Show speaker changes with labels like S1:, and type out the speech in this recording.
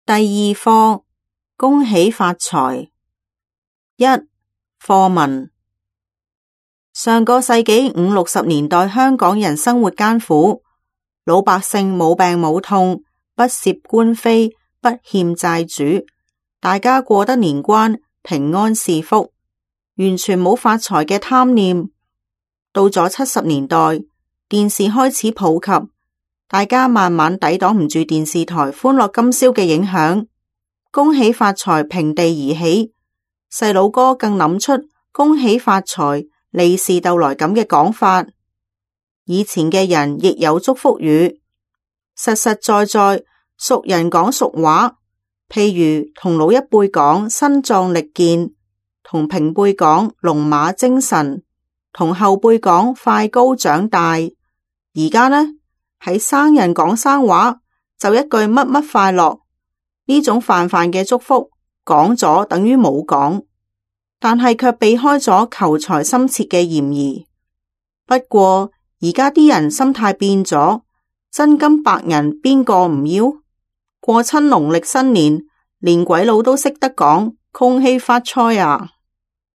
S1: 第二課，恭喜發財。一、課文。上個世紀50、60年代，香港人生活艱苦，老百姓冇病冇痛，不涉官非，不欠債主，大家過得年關，平安是福，完全冇發財嘅貪念。到咗70年代，電視開始普及，大家慢慢抵擋唔住電視台歡樂今宵嘅影響，恭喜發財平地而起。細佬哥更諗出恭喜發財利是逗來咁嘅講法。以前嘅人亦有祝福語，實實在在熟人講俗話，譬如同老一輩講身壯力健，同平輩講龍馬精神，同後輩講快高長大。而家呢，喺生人講生話，就一句乜乜快樂，呢種泛泛嘅祝福講咗等於冇講，但係卻避開咗求財心切嘅嫌疑。不過而家啲人心態變咗，真金白銀邊個唔要？過親農曆新年，連鬼佬都識得講恭喜發財啊！